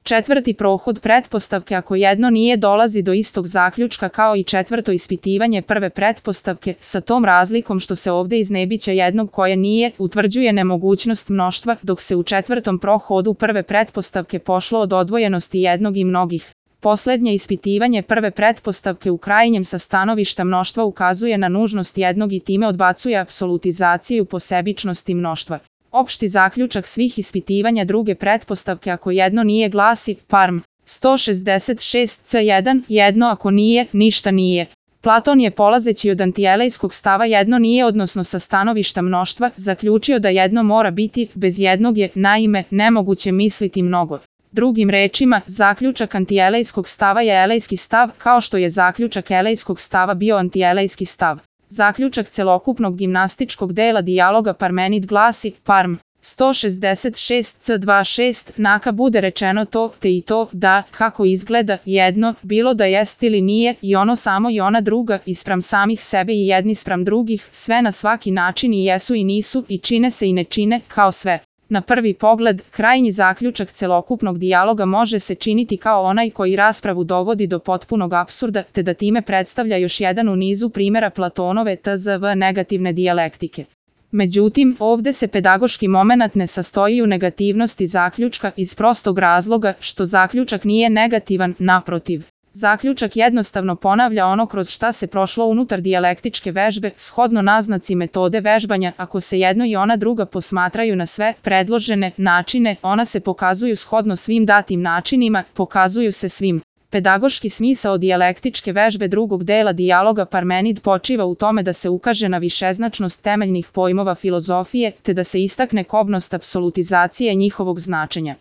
Četvrti prohod pretpostavke ako jedno nije dolazi do istog zaključka kao i četvrto ispitivanje prve pretpostavke, sa tom razlikom što se ovdje iz nebića jednog koje nije, utvrđuje nemogućnost mnoštva, dok se u četvrtom prohodu prve pretpostavke pošlo od odvojenosti jednog i mnogih. Posljednje ispitivanje prve pretpostavke u krajnjem sa stanovišta mnoštva ukazuje na nužnost jednog i time odbacuje apsolutizaciju posebičnosti mnoštva. Opšti zaključak svih ispitivanja druge pretpostavke ako jedno nije glasi Parm 166c1 jedno ako nije, ništa nije. Platon je polazeći od antielejskog stava jedno nije odnosno sa stanovišta mnoštva zaključio da jedno mora biti, bez jednog je, naime, nemoguće misliti mnogo. Drugim rečima, zaključak antielejskog stava je elejski stav, kao što je zaključak elejskog stava bio antielejski stav. Zaključak celokupnog gimnastičkog dela dijaloga Parmenid glasi Parm 166c26 naka bude rečeno to, te i to, da, kako izgleda, jedno, bilo da jest ili nije, i ono samo i ona druga, ispram samih sebe i jedni spram drugih, sve na svaki način i jesu i nisu, i čine se i ne čine, kao sve. Na prvi pogled, krajnji zaključak celokupnog dijaloga može se činiti kao onaj koji raspravu dovodi do potpunog apsurda, te da time predstavlja još jedan u nizu primjera Platonove tzv. Negativne dijalektike. Međutim, ovdje se pedagoški momenat ne sastoji u negativnosti zaključka iz prostog razloga što zaključak nije negativan, naprotiv. Zaključak jednostavno ponavlja ono kroz šta se prošlo unutar dijalektičke vežbe, shodno naznaci metode vežbanja, ako se jedno i ona druga posmatraju na sve predložene načine, ona se pokazuju shodno svim datim načinima, pokazuju se svim. Pedagoški smisao dijalektičke vežbe drugog dela dijaloga Parmenid počiva u tome da se ukaže na višeznačnost temeljnih pojmova filozofije, te da se istakne kobnost apsolutizacije njihovog značenja.